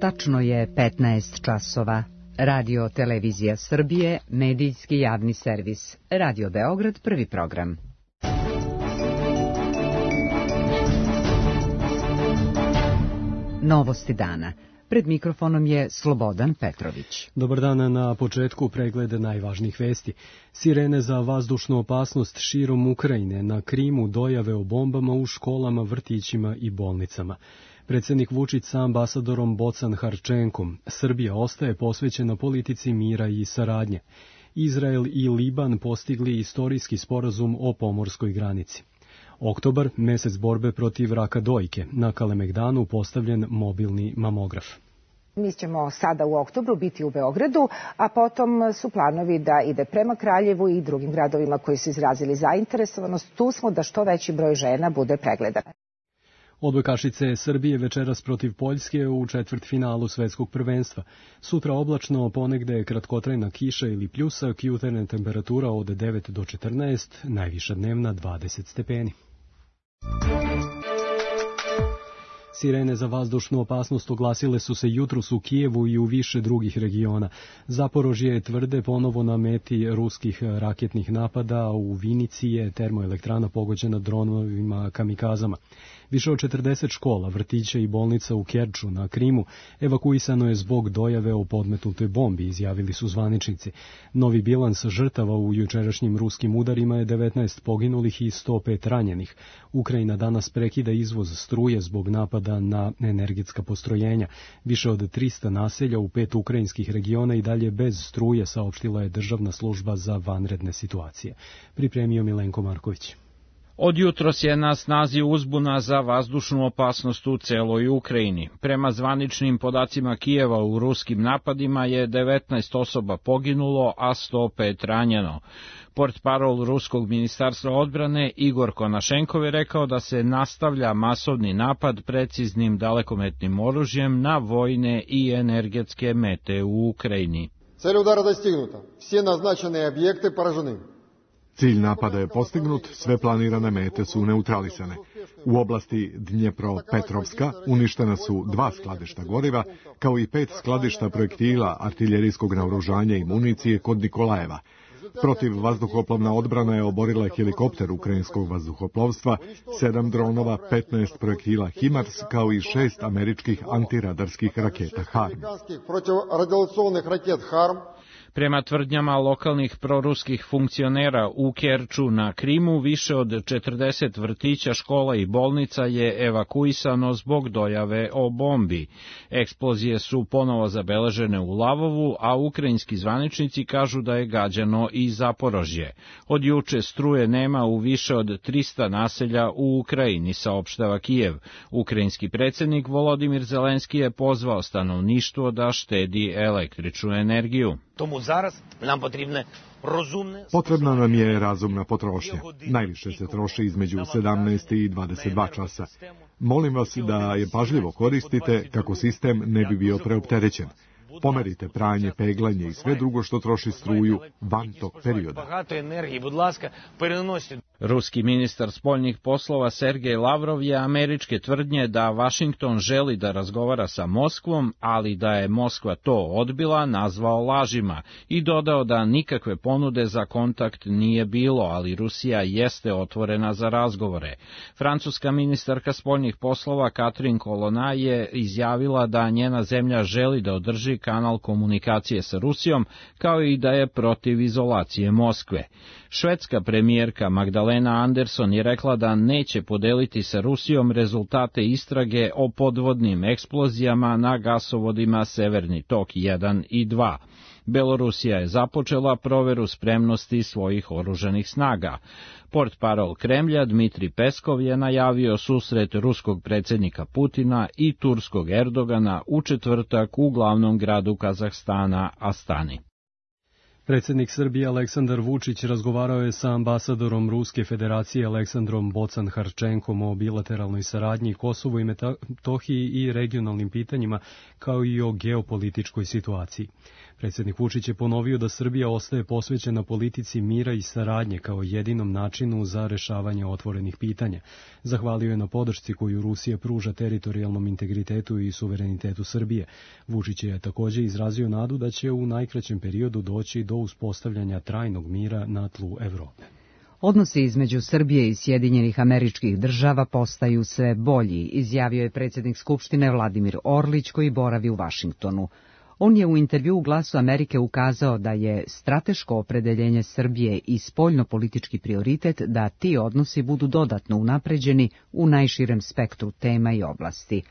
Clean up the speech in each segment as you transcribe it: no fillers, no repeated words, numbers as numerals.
Tačno je 15 časova. Radio Televizija Srbije, medijski javni servis. Radio Beograd, prvi program. Novosti dana. Pred mikrofonom je Slobodan Petrović. Dobar dan, na početku pregleda najvažnijih vesti. Sirene za vazdušnu opasnost širom Ukrajine, na Krimu dojave o bombama u školama, vrtićima i bolnicama. Predsjednik Vučić sa ambasadorom Bocan Harčenkom. Srbija ostaje posvećena politici mira i saradnje. Izrael i Liban postigli istorijski sporazum o pomorskoj granici. Oktobar, mesec borbe protiv raka dojke. Na Kalemegdanu postavljen mobilni mamograf. Mi ćemo sada u oktobru biti u Beogradu, a potom su planovi da ide prema Kraljevu i drugim gradovima koji su izrazili zainteresovanost. Tu smo da što veći broj žena bude pregledan. Odbojkašice Srbije večeras protiv Poljske u četvrtfinalu svetskog prvenstva. Sutra oblačno, ponegde kratkotrajna kiša ili pljusak, jutarnja temperatura od 9 do 14, najviša dnevna 20 stepeni. Sirene za vazdušnu opasnost oglasile su se jutros u Kijevu i u više drugih regiona. Zaporožje je tvrde ponovo na meti ruskih raketnih napada, u Vinici je termoelektrana pogođena dronovima kamikazama. Više od 40 škola, vrtića i bolnica u Kerču na Krimu evakuisano je zbog dojave o podmetnutoj bombi, izjavili su zvaničnici. Novi bilans žrtava u jučerašnjim ruskim udarima je 19 poginulih i 105 ranjenih. Ukrajina danas prekida izvoz struje zbog napada na energetska postrojenja. Više od 300 naselja u 5 ukrajinskih regiona i dalje bez struje, saopštila je Državna služba za vanredne situacije. Pripremio Milenko Marković. Od jutros je na snazi uzbuna za vazdušnu opasnost u celoj Ukrajini. Prema zvaničnim podacima Kijeva, u ruskim napadima je 19 osoba poginulo, a 105 ranjeno. Portparol Ruskog ministarstva odbrane Igor Konašenkov je rekao da se nastavlja masovni napad preciznim dalekometnim oružjem na vojne i energetske mete u Ukrajini. Цель удара достигнута. Все назначенные объекты поражены. Cilj napada je postignut, sve planirane mete su neutralisane. U oblasti Dnjepropetrovska uništena su 2 skladišta goriva, kao i 5 skladišta projektila, artiljerijskog naoružanja i municije kod Nikolajeva. Protiv vazduhoplovna odbrana je oborila helikopter ukrajinskog vazduhoplovstva, 7 dronova, 15 projektila HIMARS, kao i 6 američkih antiradarskih raketa HARM. Prema tvrdnjama lokalnih proruskih funkcionera u Kerču na Krimu, više od 40 vrtića, škola i bolnica je evakuisano zbog dojave o bombi. Eksplozije su ponovo zabeležene u Lavovu, a ukrajinski zvaničnici kažu da je gađano i Zaporožje. Od juče struje nema u više od 300 naselja u Ukrajini, saopštava Kijev. Ukrajinski predsjednik Volodimir Zelenski je pozvao stanovništvo da štedi električnu energiju. Potrebna nam je razumna potrošnja. Najviše se troši između 17 i 22 časa. Molim vas da je pažljivo koristite kako sistem ne bi bio preopterećen. Pomerite pranje, peglanje i sve drugo što troši struju van tog perioda. Ruski ministar spoljnih poslova Sergej Lavrov je američke tvrdnje da Vašington želi da razgovara sa Moskvom, ali da je Moskva to odbila, nazvao lažima i dodao da nikakve ponude za kontakt nije bilo, ali Rusija jeste otvorena za razgovore. Francuska ministarka spoljnih poslova Catherine Colonna je izjavila da njena zemlja želi da održi kanal komunikacije sa Rusijom, kao i da je protiv izolacije Moskve. Švedska premijerka Magdalena Andersson je rekla da neće podeliti sa Rusijom rezultate istrage o podvodnim eksplozijama na gasovodima Severni tok 1 i 2. Belorusija je započela proveru spremnosti svojih oružanih snaga. Portparol Kremlja Dmitri Peskov je najavio susret ruskog predsjednika Putina i turskog Erdogana u četvrtak u glavnom gradu Kazahstana, Astani. Predsjednik Srbije Aleksandar Vučić razgovarao je sa ambasadorom Ruske federacije Aleksandrom Bocan Harčenkom o bilateralnoj saradnji Kosovu i Metohiji i regionalnim pitanjima, kao i o geopolitičkoj situaciji. Predsjednik Vučić je ponovio da Srbija ostaje posvećena politici mira i saradnje kao jedinom načinu za rešavanje otvorenih pitanja. Zahvalio je na podršci koju Rusija pruža teritorijalnom integritetu i suverenitetu Srbije. Vučić je također izrazio nadu da će u najkraćem periodu doći do uspostavljanja trajnog mira na tlu Evrope. Odnosi između Srbije i Sjedinjenih Američkih Država postaju sve bolji, izjavio je predsjednik Skupštine Vladimir Orlić koji boravi u Vašingtonu. On je u intervjuu Glasu Amerike ukazao da je strateško opredeljenje Srbije i spoljnopolitički prioritet da ti odnosi budu dodatno unapređeni u najširem spektru tema i oblasti.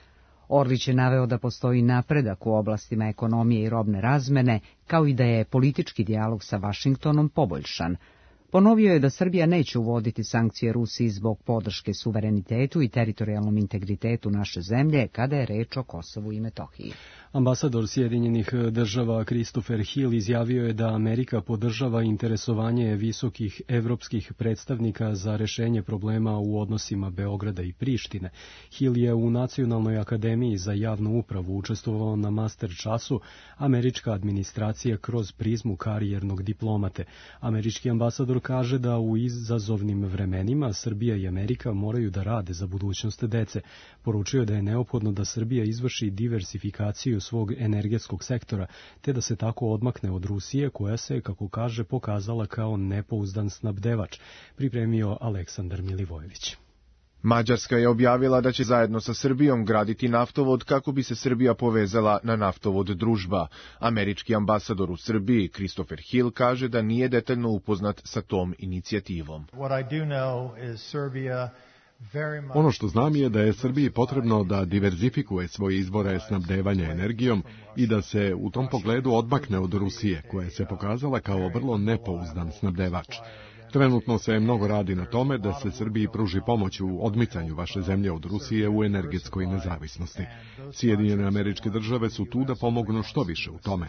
Orlić je naveo da postoji napredak u oblastima ekonomije i robne razmene, kao i da je politički dijalog sa Vašingtonom poboljšan. Ponovio je da Srbija neće uvoditi sankcije Rusiji zbog podrške suverenitetu i teritorijalnom integritetu naše zemlje kada je reč o Kosovu i Metohiji. Ambasador Sjedinjenih Država Christopher Hill izjavio je da Amerika podržava interesovanje visokih evropskih predstavnika za rešenje problema u odnosima Beograda i Prištine. Hill je u Nacionalnoj akademiji za javnu upravu učestvovao na master času Američka administracija kroz prizmu karijernog diplomate. Američki ambasador kaže da u izazovnim vremenima Srbija i Amerika moraju da rade za budućnost dece. Poručio je da je neophodno da Srbija izvrši diversifikaciju svog energetskog sektora, te da se tako odmakne od Rusije, koja se, kako kaže, pokazala kao nepouzdan snabdevač, pripremio Aleksandar Milivojević. Mađarska je objavila da će zajedno sa Srbijom graditi naftovod kako bi se Srbija povezala na naftovod Družba. Američki ambasador u Srbiji, Christopher Hill, kaže da nije detaljno upoznat sa tom inicijativom. Ono što znam je da je Srbiji potrebno da diverzifikuje svoje izvore snabdevanja energijom i da se u tom pogledu odmakne od Rusije, koja se pokazala kao vrlo nepouzdan snabdevač. Trenutno se mnogo radi na tome da se Srbiji pruži pomoć u odmicanju vaše zemlje od Rusije u energetskoj nezavisnosti. Sjedinjene Američke Države su tu da pomognu što više u tome.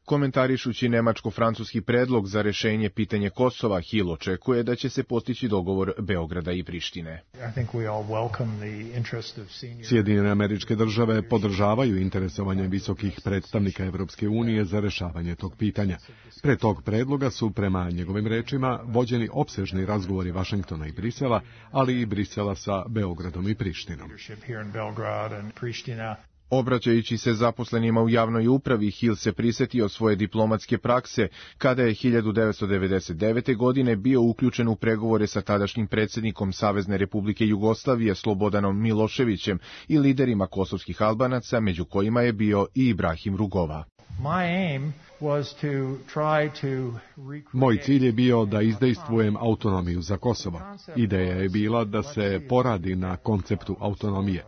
Komentarišući nemačko-francuski predlog za rešenje pitanje Kosova, Hill očekuje da će se postići dogovor Beograda i Prištine. Sjedinjene Američke Države podržavaju interesovanje visokih predstavnika Evropske unije za rešavanje tog pitanja. Pre tog predloga su, prema njegovim rečima, vođeni opsežni razgovori Vašingtona i Brisela, ali i Brisela sa Beogradom i Prištinom. Obraćajući se zaposlenima u javnoj upravi, Hill se prisetio svoje diplomatske prakse kada je 1999. godine bio uključen u pregovore sa tadašnjim predsjednikom Savezne Republike Jugoslavije Slobodanom Miloševićem i liderima kosovskih Albanaca, među kojima je bio i Ibrahim Rugova. Moj cilj je bio da izdejstvujem autonomiju za Kosovo. Ideja je bila da se poradi na konceptu autonomije.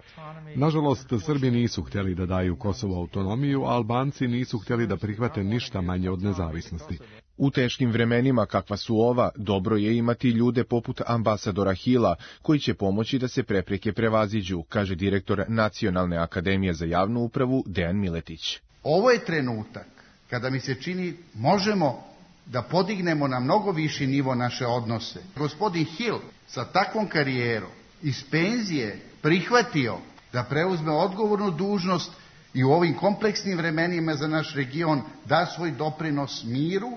Nažalost, Srbi nisu htjeli da daju Kosovo autonomiju, a Albanci nisu htjeli da prihvate ništa manje od nezavisnosti. U teškim vremenima kakva su ova, dobro je imati ljude poput ambasadora Hilla, koji će pomoći da se prepreke prevaziđu, kaže direktor Nacionalne akademije za javnu upravu Dejan Miletić. Ovo je trenutak kada mi se čini možemo da podignemo na mnogo viši nivo naše odnose. Gospodin Hill sa takvom karijerom iz penzije prihvatio da preuzme odgovornu dužnost i u ovim kompleksnim vremenima za naš region da svoj doprinos miru,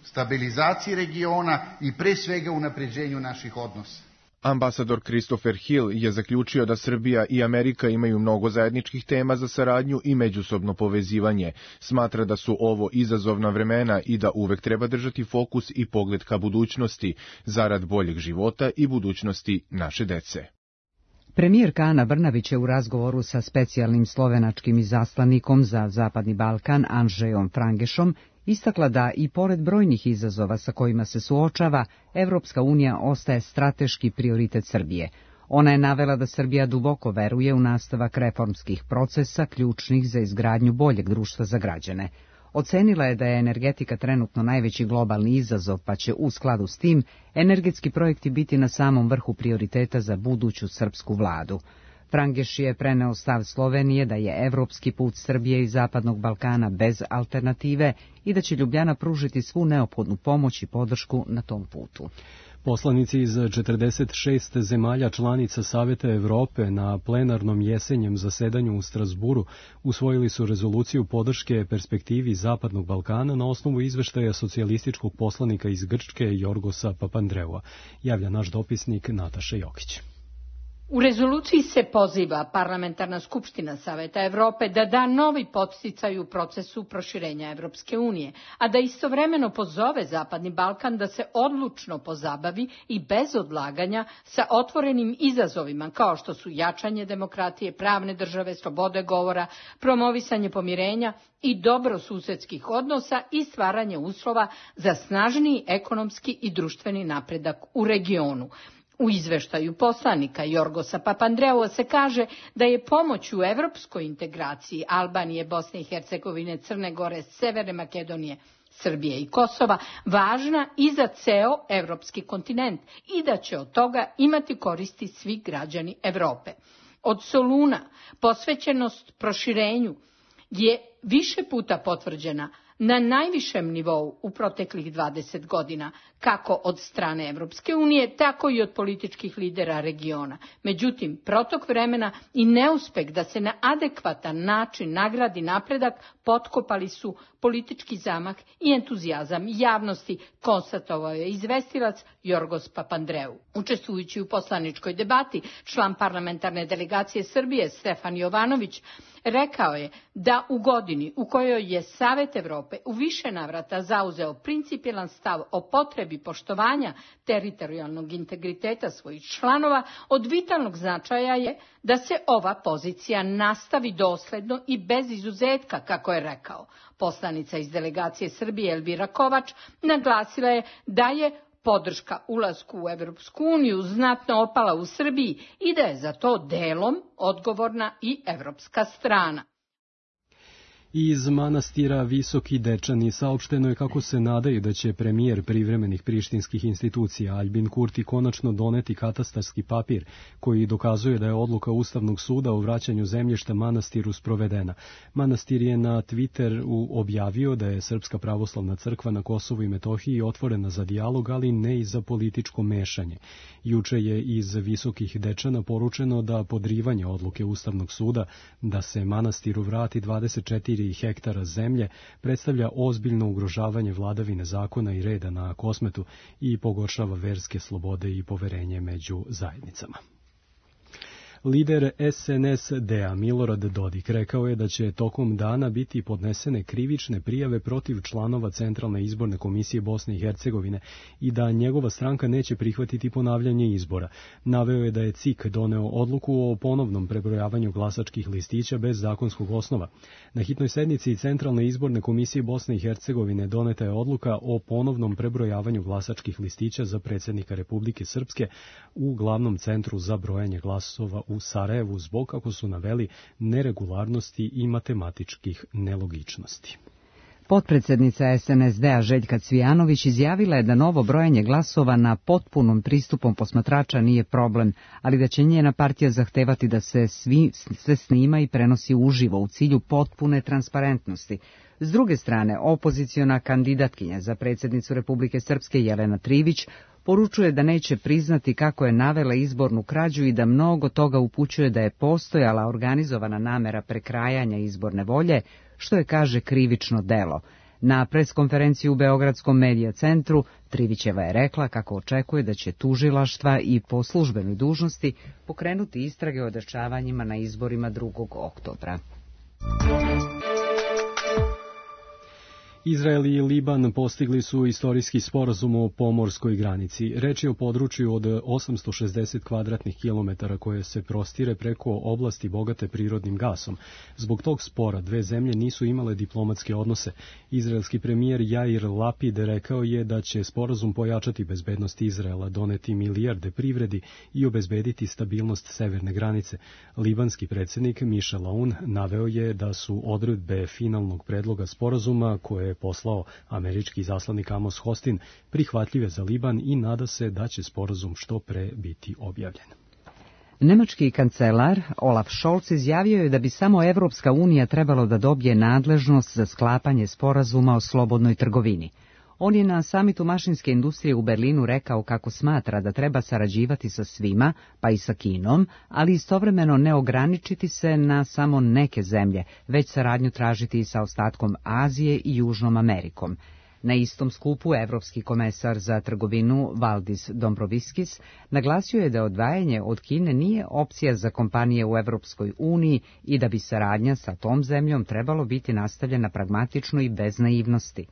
stabilizaciji regiona i pre svega unapređenju naših odnosa. Ambasador Christopher Hill je zaključio da Srbija i Amerika imaju mnogo zajedničkih tema za saradnju i međusobno povezivanje. Smatra da su ovo izazovna vremena i da uvek treba držati fokus i pogled ka budućnosti, zarad boljeg života i budućnosti naše dece. Premijerka Ana Brnabić je u razgovoru sa specijalnim slovenačkim izaslanikom za Zapadni Balkan Andrzejom Frangešom istakla da i pored brojnih izazova sa kojima se suočava, Evropska unija ostaje strateški prioritet Srbije. Ona je navela da Srbija duboko veruje u nastavak reformskih procesa ključnih za izgradnju boljeg društva za građane. Ocenila je da je energetika trenutno najveći globalni izazov, pa će u skladu s tim energetski projekti biti na samom vrhu prioriteta za buduću srpsku vladu. Frangeš je preneo stav Slovenije da je evropski put Srbije i Zapadnog Balkana bez alternative i da će Ljubljana pružiti svu neophodnu pomoć i podršku na tom putu. Poslanici iz 46 zemalja članica Saveta Evrope na plenarnom jesenjem zasedanju u Strasburu usvojili su rezoluciju podrške perspektivi Zapadnog Balkana na osnovu izveštaja socijalističkog poslanika iz Grčke Jorgosa Papandreua, javlja naš dopisnik Nataša Jokić. U rezoluciji se poziva Parlamentarna skupština Saveta Evrope da da novi podsticaj u procesu proširenja Evropske unije, a da istovremeno pozove Zapadni Balkan da se odlučno pozabavi i bez odlaganja sa otvorenim izazovima kao što su jačanje demokratije, pravne države, slobode govora, promovisanje pomirenja i dobrosusedskih odnosa i stvaranje uslova za snažniji ekonomski i društveni napredak u regionu. U izveštaju poslanika Jorgosa Papandreua se kaže da je pomoć u evropskoj integraciji Albanije, Bosne i Hercegovine, Crne Gore, Severne Makedonije, Srbije i Kosova važna i za ceo evropski kontinent i da će od toga imati koristi svi građani Evrope. Od Soluna posvećenost proširenju je više puta potvrđena na najvišem nivou u proteklih 20 godina, kako od strane Evropske unije, tako i od političkih lidera regiona. Međutim, protok vremena i neuspeh da se na adekvatan način nagradi napredak potkopali su politički zamah i entuzijazam javnosti, konstatovao je izvestilac Jorgos Papandreou. Učestvujući u poslaničkoj debati, član parlamentarne delegacije Srbije Stefan Jovanović rekao je da u godini u kojoj je Savet Evrope u više navrata zauzeo principijelan stav o potrebi poštovanja teritorijalnog integriteta svojih članova, od vitalnog značaja je da se ova pozicija nastavi dosledno i bez izuzetka, kako je rekao. Poslanica iz delegacije Srbije Elvira Kovač naglasila je da je podrška ulasku u Evropsku uniju znatno opala u Srbiji i da je za to delom odgovorna i evropska strana. Iz manastira Visoki Dečani saopšteno je kako se nadaju da će premijer privremenih prištinskih institucija Aljbin Kurti konačno doneti katastarski papir koji dokazuje da je odluka Ustavnog suda o vraćanju zemljišta manastiru sprovedena. Manastir je na Twitter objavio da je Srpska pravoslavna crkva na Kosovu i Metohiji otvorena za dijalog, ali ne i za političko mešanje. Juče je iz Visokih Dečana poručeno da podrivanje odluke Ustavnog suda da se manastiru vrati 24 hektara zemlje predstavlja ozbiljno ugrožavanje vladavine zakona i reda na Kosmetu i pogoršava verske slobode i poverenje među zajednicama. Lider SNSD-a Milorad Dodik rekao je da će tokom dana biti podnesene krivične prijave protiv članova Centralne izborne komisije Bosne i Hercegovine i da njegova stranka neće prihvatiti ponavljanje izbora. Naveo je da je CIK doneo odluku o ponovnom prebrojavanju glasačkih listića bez zakonskog osnova. Na hitnoj sednici Centralne izborne komisije Bosne i Hercegovine doneta je odluka o ponovnom prebrojavanju glasačkih listića za predsjednika Republike Srpske u glavnom centru za brojanje glasova u Sarajevu zbog, kako su naveli, neregularnosti i matematičkih nelogičnosti. Potpredsjednica SNSD-a Željka Cvijanović izjavila je da novo brojanje glasova na potpunom pristupom posmatrača nije problem, ali da će njena partija zahtevati da se sve snima i prenosi uživo u cilju potpune transparentnosti. S druge strane, opoziciona kandidatkinja za predsjednicu Republike Srpske Jelena Trivić poručuje da neće priznati kako je navela izbornu krađu i da mnogo toga upućuje da je postojala organizovana namera prekrajanja izborne volje, što je, kaže, krivično delo. Na preskonferenciji u Beogradskom medija centru Trivićeva je rekla kako očekuje da će tužilaštva i po službenoj dužnosti pokrenuti istrage o dešavanjima na izborima 2. oktobra. Izrael i Liban postigli su istorijski sporazum o pomorskoj granici. Reč je o području od 860 kvadratnih kilometara koje se prostire preko oblasti bogate prirodnim gasom. Zbog tog spora dve zemlje nisu imale diplomatske odnose. Izraelski premijer Jair Lapid rekao je da će sporazum pojačati bezbednost Izraela, doneti milijarde privredi i obezbediti stabilnost severne granice. Libanski predsjednik Michel Aoun naveo je da su odredbe finalnog predloga sporazuma koje poslao američki izaslanik Amos Hostin prihvatljive za Liban i nada se da će sporazum što pre biti objavljen. Nemački kancelar Olaf Scholz izjavio je da bi samo Evropska unija trebalo da dobije nadležnost za sklapanje sporazuma o slobodnoj trgovini. On je na samitu mašinske industrije u Berlinu rekao kako smatra da treba sarađivati sa svima, pa i sa Kinom, ali istovremeno ne ograničiti se na samo neke zemlje, već saradnju tražiti i sa ostatkom Azije i Južnom Amerikom. Na istom skupu evropski komesar za trgovinu Valdis Dombrovskis naglasio je da odvajanje od Kine nije opcija za kompanije u Evropskoj uniji i da bi saradnja sa tom zemljom trebalo biti nastavljena pragmatično i bez naivnosti.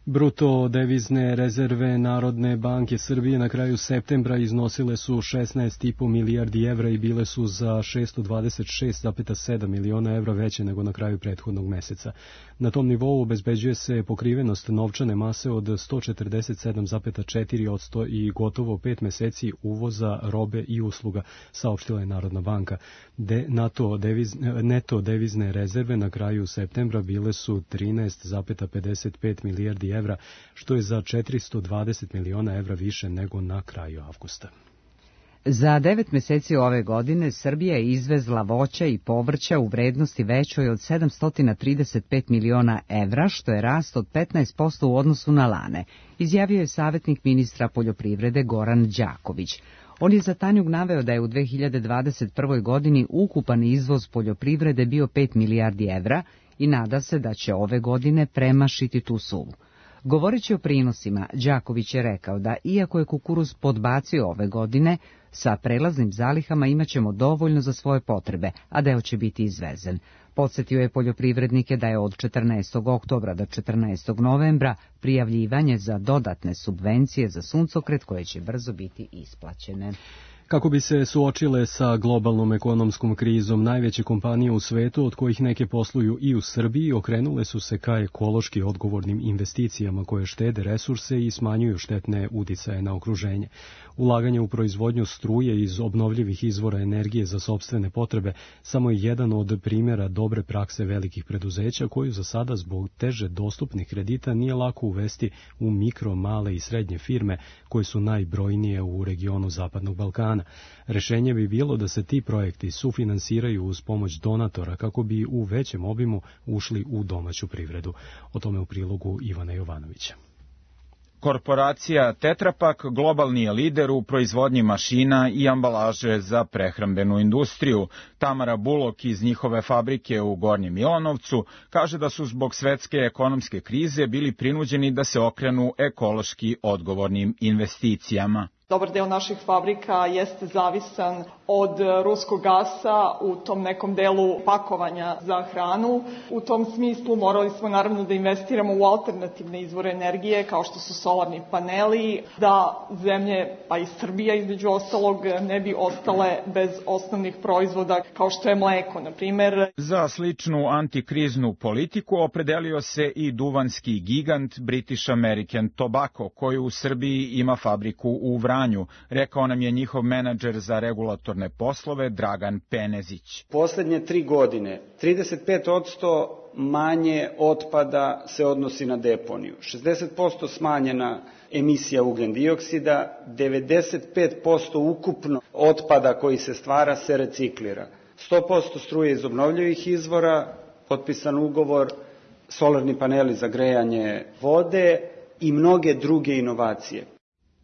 Bruto devizne rezerve Narodne banke Srbije na kraju septembra iznosile su 16,5 milijardi evra i bile su za 626,7 miliona evra veće nego na kraju prethodnog meseca. Na tom nivou obezbeđuje se pokrivenost novčane mase od 147,4% i gotovo 5 meseci uvoza robe i usluga, saopštila je Narodna banka. Neto devizne rezerve na kraju septembra bile su 13,55 milijardi evra, što je za 420 miliona evra više nego na kraju avgusta. Za 9 meseci ove godine Srbija je izvezla voća i povrća u vrednosti većoj od 735 miliona evra, što je rast od 15% u odnosu na lane, izjavio je savjetnik ministra poljoprivrede Goran Đaković. On je za Tanjug naveo da je u 2021. godini ukupan izvoz poljoprivrede bio 5 milijardi evra i nada se da će ove godine premašiti tu sumu. Govoreći o prinosima, Đaković je rekao da iako je kukuruz podbacio ove godine, sa prelaznim zalihama imaćemo dovoljno za svoje potrebe, a deo će biti izvezen. Podsjetio je poljoprivrednike da je od 14. oktobra do 14. novembra prijavljivanje za dodatne subvencije za suncokret koje će brzo biti isplaćene. Kako bi se suočile sa globalnom ekonomskom krizom, najveće kompanije u svetu, od kojih neke posluju i u Srbiji, okrenule su se ka ekološki odgovornim investicijama koje štede resurse i smanjuju štetne uticaje na okruženje. Ulaganje u proizvodnju struje iz obnovljivih izvora energije za sopstvene potrebe samo je jedan od primjera dobre prakse velikih preduzeća koju za sada zbog teže dostupnih kredita nije lako uvesti u mikro, male i srednje firme koje su najbrojnije u regionu Zapadnog Balkana. Rešenje bi bilo da se ti projekti sufinansiraju uz pomoć donatora kako bi u većem obimu ušli u domaću privredu. O tome u prilogu Ivana Jovanovića. Korporacija Tetra Pak globalni je lider u proizvodnji mašina i ambalaže za prehrambenu industriju. Tamara Bulok iz njihove fabrike u Gornjem Milanovcu kaže da su zbog svetske ekonomske krize bili prinuđeni da se okrenu ekološki odgovornim investicijama. Dobar deo naših fabrika jeste zavisan od ruskog gasa u tom nekom delu pakovanja za hranu. U tom smislu morali smo naravno da investiramo u alternativne izvore energije kao što su solarni paneli, da zemlje, pa i Srbija između ostalog, ne bi ostale bez osnovnih proizvoda kao što je mleko, na primer. Za sličnu antikriznu politiku opredelio se i duvanski gigant British American Tobacco, koji u Srbiji ima fabriku u Vranju, rekao nam je njihov menadžer za regulatorne poslove Dragan Penezić. Poslednje 3 godine 35% manje otpada se odnosi na deponiju, 60% smanjena emisija ugljen-dioksida, 95% ukupno otpada koji se stvara se reciklira, 100% struje iz obnovljivih izvora, potpisan ugovor, solarni paneli za grejanje vode i mnoge druge inovacije.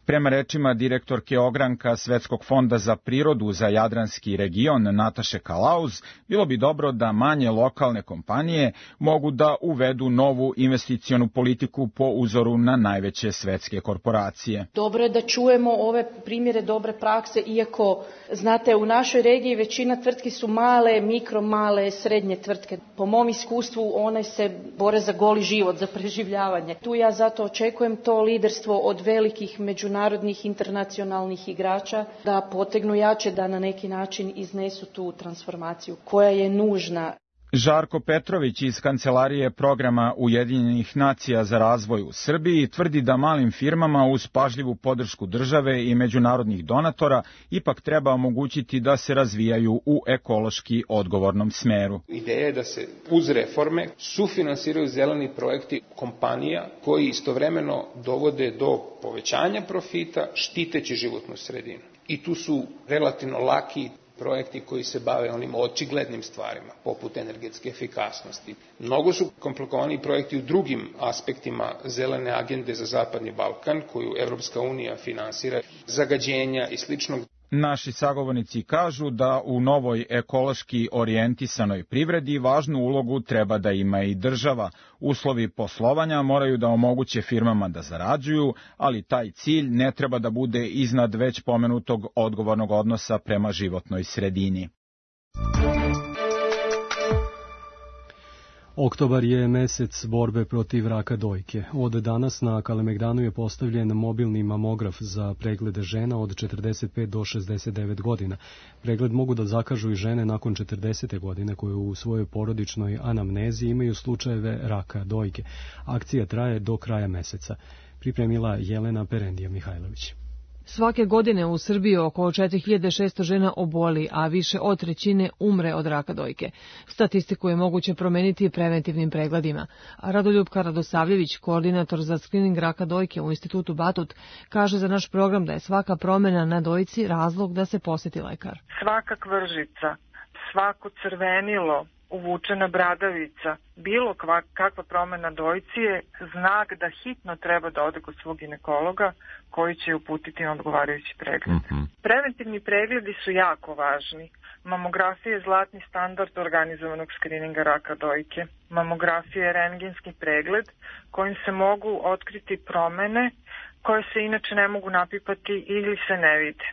Prema rečima direktorke ogranka Svetskog fonda za prirodu za Jadranski region Nataše Kalauz, bilo bi dobro da manje lokalne kompanije mogu da uvedu novu investicionu politiku po uzoru na najveće svetske korporacije. Dobro je da čujemo ove primjere dobre prakse, iako, znate, u našoj regiji većina tvrtki su male, male, srednje tvrtke. Po mom iskustvu one se bore za goli život, za preživljavanje. Tu ja zato očekujem to liderstvo od velikih međunarodnih internacionalnih igrača da potegnu jače, da na neki način iznesu tu transformaciju koja je nužna. Žarko Petrović iz Kancelarije programa Ujedinjenih nacija za razvoj u Srbiji tvrdi da malim firmama uz pažljivu podršku države i međunarodnih donatora ipak treba omogućiti da se razvijaju u ekološki odgovornom smeru. Ideja je da se uz reforme sufinansiraju zeleni projekti kompanija koji istovremeno dovode do povećanja profita štiteći životnu sredinu. I tu su relativno laki projekti koji se bave onim očiglednim stvarima, poput energetske efikasnosti. Mnogo su komplikovani projekti u drugim aspektima zelene agende za Zapadni Balkan, koju Evropska unija finansira, zagađenja i sličnog. Naši sagovornici kažu da u novoj ekološki orijentisanoj privredi važnu ulogu treba da ima i država. Uslovi poslovanja moraju da omoguće firmama da zarađuju, ali taj cilj ne treba da bude iznad već pomenutog odgovornog odnosa prema životnoj sredini. Oktobar je mesec borbe protiv raka dojke. Od danas na Kalemegdanu je postavljen mobilni mamograf za preglede žena od 45 do 69 godina. Pregled mogu da zakažu i žene nakon 40. godine koje u svojoj porodičnoj anamnezi imaju slučajeve raka dojke. Akcija traje do kraja meseca. Pripremila Jelena Perendija Mihajlović. Svake godine u Srbiji oko 4600 žena oboli, a više od trećine umre od raka dojke. Statistiku je moguće promeniti preventivnim pregledima. Radoljupka Radosavljević, koordinator za skrining raka dojke u Institutu Batut, kaže za naš program da je svaka promjena na dojci razlog da se poseti lekar. Svaka kvržica, svako crvenilo, uvučena bradavica, bilo kakva promjena dojci je znak da hitno treba da ode kod svog ginekologa koji će uputiti na odgovarajući pregled. Preventivni pregledi su jako važni. Mamografija je zlatni standard organizovanog skrininga raka dojke. Mamografija je rentgenski pregled kojim se mogu otkriti promjene koje se inače ne mogu napipati ili se ne vide.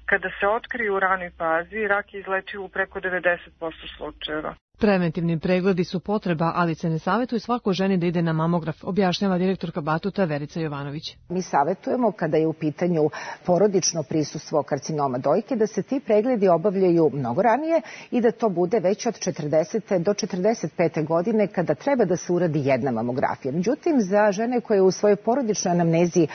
Kada se otkriju u ranoj fazi, rak je izlečiv u preko 90% slučajeva. Preventivni pregledi su potreba, ali se ne savjetuje svakoj ženi da ide na mamograf, objašnjava direktorka Batuta Verica Jovanović. Mi savjetujemo kada je u pitanju porodično prisustvo karcinoma dojke da se ti pregledi obavljaju mnogo ranije i da to bude već od 40. do 45. godine kada treba da se uradi jedna mamografija. Međutim, za žene koje u svojoj porodičnoj anamnezi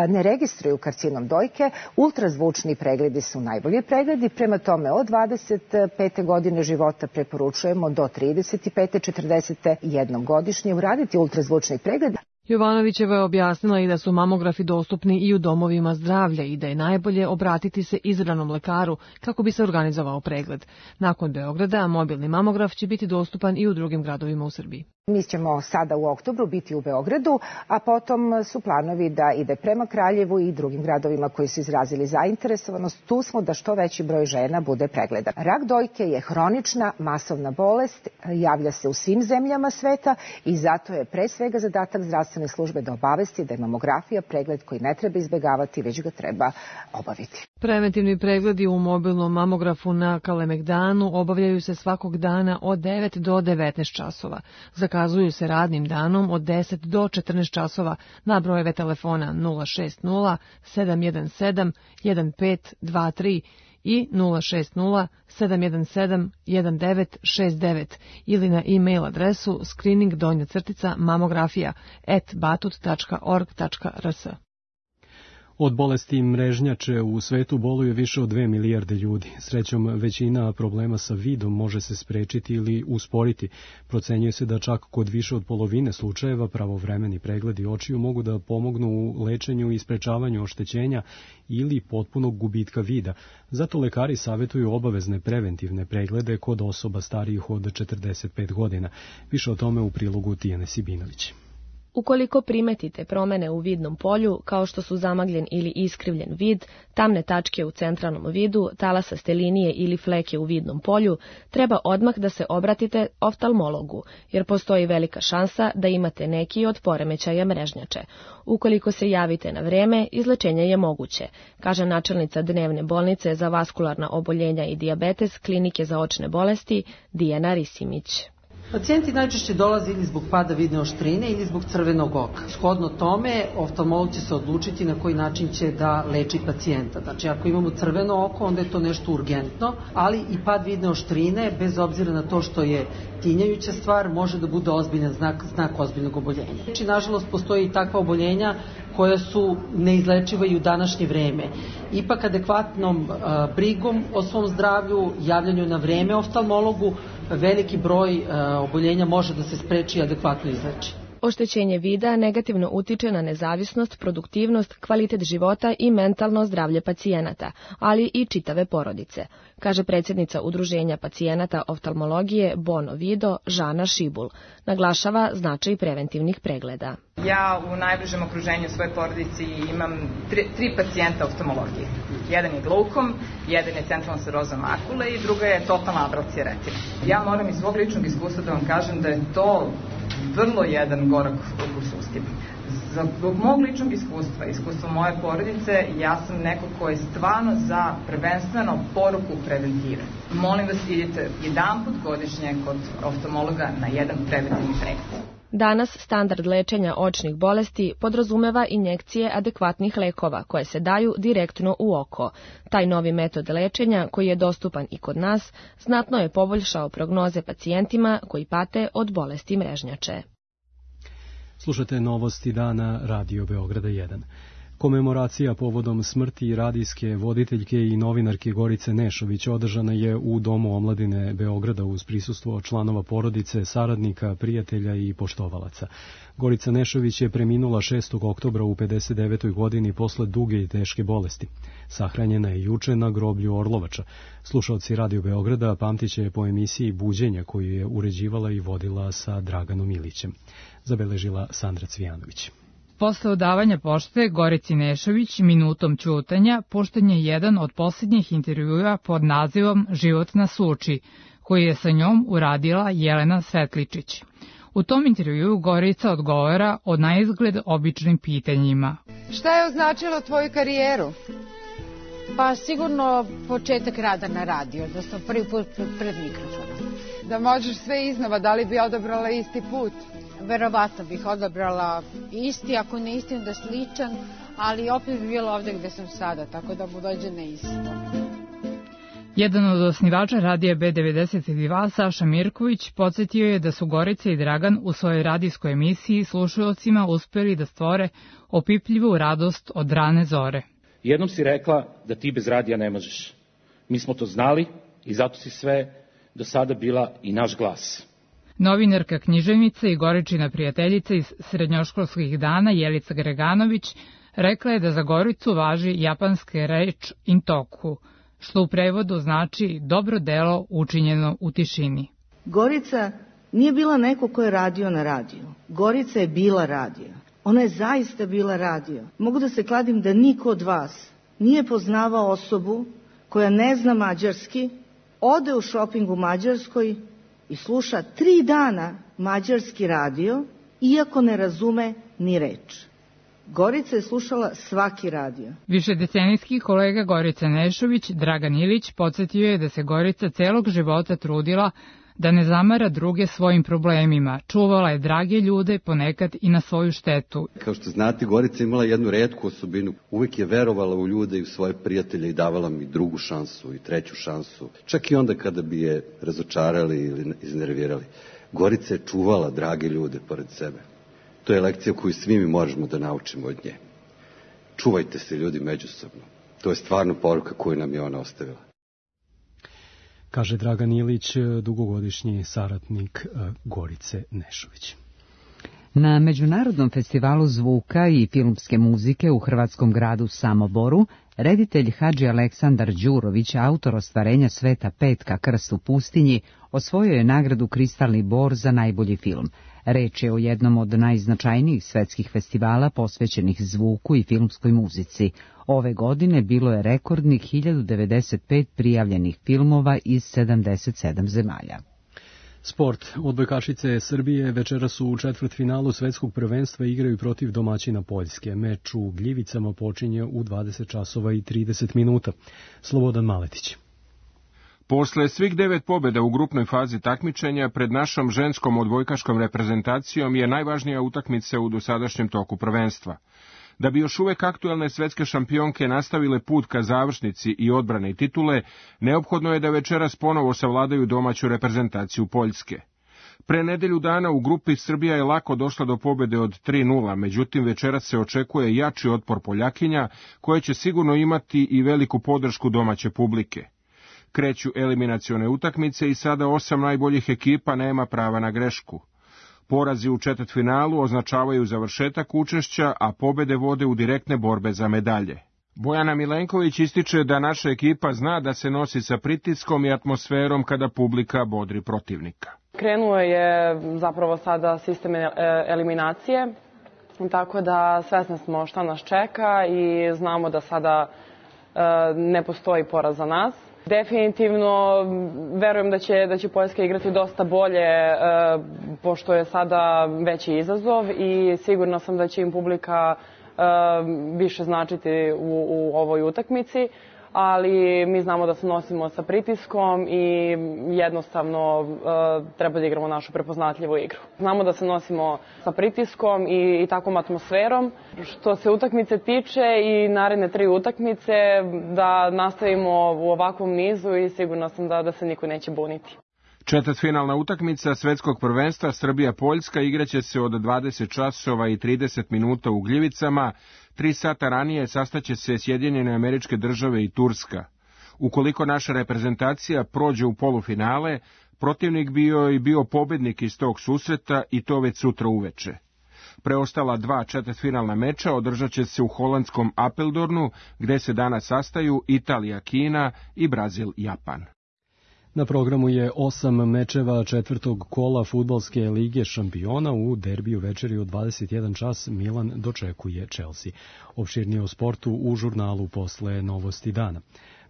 ne registruju karcinom dojke, ultrazvučni pregledi su najbolji pregledi. Prema tome, od 25. godine života preporučujemo do 35. 41. godišnje uraditi ultrazvučni pregled. Jovanovićeva je objasnila i da su mamografi dostupni i u domovima zdravlja i da je najbolje obratiti se izabranom lekaru kako bi se organizovao pregled. Nakon Beograda, mobilni mamograf će biti dostupan i u drugim gradovima u Srbiji. Mi ćemo sada u oktobru biti u Beogradu, a potom su planovi da ide prema Kraljevu i drugim gradovima koji su izrazili zainteresovanost. Tu smo da što veći broj žena bude pregledan. Rak dojke je hronična masovna bolest, javlja se u svim zemljama sveta i zato je pre svega zadatak zdravstvene službe da obavesti da je mamografija pregled koji ne treba izbjegavati, već ga treba obaviti. Preventivni pregledi u mobilnom mamografu na Kalemegdanu obavljaju se svakog dana od 9 do 19 časova. Zakazuju se radnim danom od 10 do 14 časova na brojeve telefona 060 717 1523 i 060 717 1969 ili na e-mail adresu screening_mamografija@batut.org.rs. Od bolesti mrežnjače u svetu boluje više od 2 milijarde ljudi. Srećom, većina problema sa vidom može se sprečiti ili usporiti. Procenjuje se da čak kod više od polovine slučajeva pravovremeni pregledi očiju mogu da pomognu u lečenju i sprečavanju oštećenja ili potpunog gubitka vida. Zato lekari savjetuju obavezne preventivne preglede kod osoba starijih od 45 godina. Više o tome u prilogu Tijane Sibinović. Ukoliko primetite promene u vidnom polju, kao što su zamagljen ili iskrivljen vid, tamne tačke u centralnom vidu, talasaste linije ili fleke u vidnom polju, treba odmah da se obratite oftalmologu, jer postoji velika šansa da imate neki od poremećaja mrežnjače. Ukoliko se javite na vreme, izlečenje je moguće, kaže načelnica dnevne bolnice za vaskularna oboljenja i dijabetes Klinike za očne bolesti Dijana Risimić. Pacijenti najčešće dolaze ili zbog pada vidne oštrine ili zbog crvenog oka. Shodno tome, oftalmolog će se odlučiti na koji način će da leči pacijenta. Znači, ako imamo crveno oko, onda je to nešto urgentno, ali i pad vidne oštrine, bez obzira na to što je tinjajuća stvar, može da bude ozbiljan znak ozbiljnog oboljenja. Znači, nažalost, postoji i takva oboljenja koja su neizlečiva i u današnje vreme. Ipak adekvatnom brigom o svom zdravlju, javljanju na vreme oftalmologu, veliki broj oboljenja može da se spreči i adekvatno izleči. Oštećenje vida negativno utiče na nezavisnost, produktivnost, kvalitet života i mentalno zdravlje pacijenata, ali i čitave porodice, kaže predsjednica Udruženja pacijenata oftalmologije Bono Vido Žana Šibul. Naglašava značaj preventivnih pregleda. Ja u najbližem okruženju svoje porodici imam tri pacijenta oftalmologije. Jedan je glaukom, jedan je centralna skleroza makule i druga je totalna abracija retine. Ja moram iz svog ličnog iskustva da vam kažem da je to vrlo jedan gorak u sustima. Zbog mog ličnog iskustva moje porodice, ja sam neko ko je stvarno za prvenstveno poruku preventive. Molim vas, idite jedanput godišnje kod oftalmologa na jedan preventivni pregled. Danas standard lečenja očnih bolesti podrazumeva injekcije adekvatnih lekova koje se daju direktno u oko. Taj novi metod lečenja, koji je dostupan i kod nas, znatno je poboljšao prognoze pacijentima koji pate od bolesti mrežnjače. Slušate novosti dana Radio Beograda 1. Komemoracija povodom smrti radijske voditeljke i novinarke Gorice Nešović održana je u Domu omladine Beograda uz prisustvo članova porodice, saradnika, prijatelja i poštovalaca. Gorica Nešović je preminula 6. oktobra u 59. godini posle duge i teške bolesti. Sahranjena je juče na groblju Orlovača. Slušalci Radio Beograda pamtiće je po emisiji Buđenja koju je uređivala i vodila sa Draganom Ilićem. Zabeležila Sandra Cvijanović. Posle odavanja pošte Gorici Nešović minutom ćutanja pušten je jedan od posljednjih intervjua pod nazivom Život na Suči, koji je sa njom uradila Jelena Svetličić. U tom intervjuu Gorica odgovara o naizgled običnim pitanjima. Šta je označilo tvoju karijeru? Pa sigurno početak rada na radiju, da sam prvi put pred mikrofonom. Da možeš sve iznova, da li bi odabrala isti put? Verovatno bih odabrala isti, ako ne isti onda sličan, ali opet bi bilo ovde gde sam sada, tako da mu dođe na isto. Jedan od osnivača radija B92, Saša Mirković, podsjetio je da su Gorica i Dragan u svojoj radijskoj emisiji slušaocima uspeli da stvore opipljivu radost od rane zore. Jednom si rekla da ti bez radija ne možeš. Mi smo to znali i zato si sve do sada bila i naš glas. Novinarka, književnica i Goričina prijateljica iz srednjoškolskih dana Jelica Greganović rekla je da za Goricu važi japanska reč intoku, što u prevodu znači dobro delo učinjeno u tišini. Gorica nije bila neko ko je radio na radiju. Gorica je bila radio. Ona je zaista bila radio. Mogu da se kladim da niko od vas nije poznavao osobu koja ne zna mađarski, ode u šoping u Mađarskoj i sluša 3 dana mađarski radio, iako ne razume ni reč. Gorica je slušala svaki radio. Višedecenijski kolega Gorice Nešović, Dragan Ilić, podsjetio je da se Gorica celog života trudila da ne zamara druge svojim problemima. Čuvala je drage ljude, ponekad i na svoju štetu. Kao što znate, Gorica imala jednu retku osobinu. Uvek je verovala u ljude i u svoje prijatelje i davala mi drugu šansu i treću šansu. Čak i onda kada bi je razočarali ili iznervirali. Gorica je čuvala drage ljude pored sebe. To je lekcija koju svi mi možemo da naučimo od nje. Čuvajte se ljudi međusobno. To je stvarno poruka koju nam je ona ostavila. Kaže Dragan Ilić, dugogodišnji saradnik Gorice Nešović. Na Međunarodnom festivalu zvuka i filmske muzike u hrvatskom gradu Samoboru, reditelj Hadži Aleksandar Đurović, autor ostvarenja Sveta Petka Krst u pustinji, osvojio je nagradu Kristalni bor za najbolji film. Reč je o jednom od najznačajnijih svetskih festivala posvećenih zvuku i filmskoj muzici. Ove godine bilo je rekordnih 1095 prijavljenih filmova iz 77 zemalja. Sport. Odbojkašice Srbije večeras u četvrtfinalu svetskog prvenstva igraju protiv domaćina Poljske. Meč u Gljivicama počinje u 20 časova i 30 minuta. Slobodan Maletić. Posle svih 9 pobjeda u grupnoj fazi takmičenja, pred našom ženskom odbojkaškom reprezentacijom je najvažnija utakmica u dosadašnjem toku prvenstva. Da bi još uvek aktuelne svetske šampionke nastavile put ka završnici i odbrane titule, neophodno je da večeras ponovo savladaju domaću reprezentaciju Poljske. Pre nedelju dana u grupi Srbija je lako došla do pobjede od 3:0, međutim večeras se očekuje jači otpor Poljakinja, koje će sigurno imati i veliku podršku domaće publike. Kreću eliminacione utakmice i sada 8 najboljih ekipa nema prava na grešku. Porazi u četvrtfinalu označavaju završetak učešća, a pobede vode u direktne borbe za medalje. Bojana Milenković ističe da naša ekipa zna da se nosi sa pritiskom i atmosferom kada publika bodri protivnika. Krenuo je zapravo sada sistem eliminacije, tako da svesni smo šta nas čeka i znamo da sada ne postoji poraz za nas. Definitivno verujem da će Poljska igrati dosta bolje, pošto je sada veći izazov i sigurno sam da će im publika više značiti u ovoj utakmici, ali mi znamo da se nosimo sa pritiskom i jednostavno treba da igramo našu prepoznatljivu igru. Znamo da se nosimo sa pritiskom i takvom atmosferom. Što se utakmice tiče i naredne 3 utakmice, da nastavimo u ovakvom nizu i sigurna sam da se niko neće buniti. Četvrtfinalna utakmica svetskog prvenstva Srbija-Poljska igraće se od 20 časova i 30 minuta u Gljivicama. 3 sata ranije sastaće se Sjedinjene Američke Države i Turska. Ukoliko naša reprezentacija prođe u polufinale, protivnik bio pobednik iz tog susreta i to već sutra uveče. Preostala 2 četvrtfinalna meča održat će se u holandskom Apeldornu, gde se danas sastaju Italija-Kina i Brazil-Japan. Na programu je 8 mečeva četvrtog kola fudbalske lige šampiona. U derbiju večeri od 21 čas Milan dočekuje Chelsea. Opširnije o sportu u žurnalu posle Novosti dana.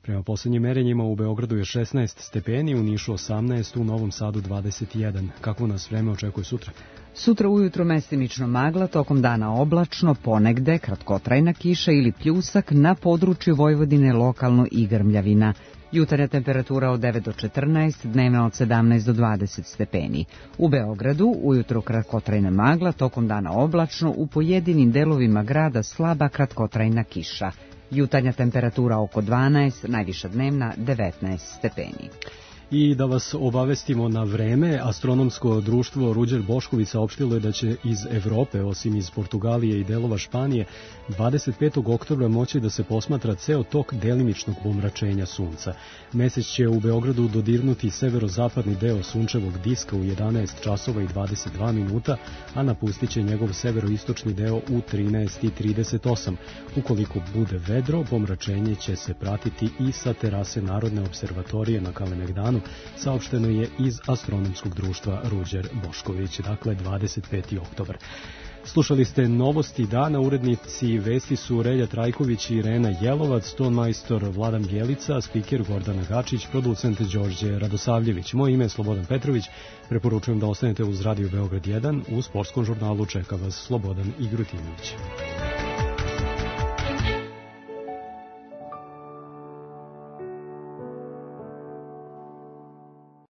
Prema poslednjim merenjima u Beogradu je 16 stepeni, u Nišu 18, u Novom Sadu 21. Kako nas vreme očekuje sutra? Sutra ujutro mestimično magla, tokom dana oblačno, ponegde kratkotrajna kiša ili pljusak, na području Vojvodine lokalno i grmljavina. Jutarnja temperatura od 9 do 14, dnevna od 17 do 20 stepeni. U Beogradu ujutro kratkotrajna magla, tokom dana oblačno, u pojedinim delovima grada slaba kratkotrajna kiša. Jutarnja temperatura oko 12, najviša dnevna 19 stepeni. I da vas obavestimo na vreme, astronomsko društvo Ruđer Bošković saopštilo je da će iz Evrope, osim iz Portugalije i delova Španije, 25. oktobra moći da se posmatra ceo tok delimičnog pomračenja sunca. Mesec će u Beogradu dodirnuti severozapadni deo sunčevog diska u 11 časova i 22 minuta, a napustit će njegov severoistočni deo u 13:38. Ukoliko bude vedro, pomračenje će se pratiti i sa terase Narodne observatorije na Kalemegdanu, saopšteno je iz astronomskog društva Ruđer Bošković, dakle 25. oktobar. Slušali ste Novosti dana, urednici vesti su Relja Trajković i Irena Jelovac, tonmajstor Vladan Bjelica, spiker Gordana Gačić, producent Đorđe Radosavljević. Moje ime je Slobodan Petrović, preporučujem da ostanete uz Radio Beograd 1, u sportskom žurnalu čeka vas Slobodan Igrutinović.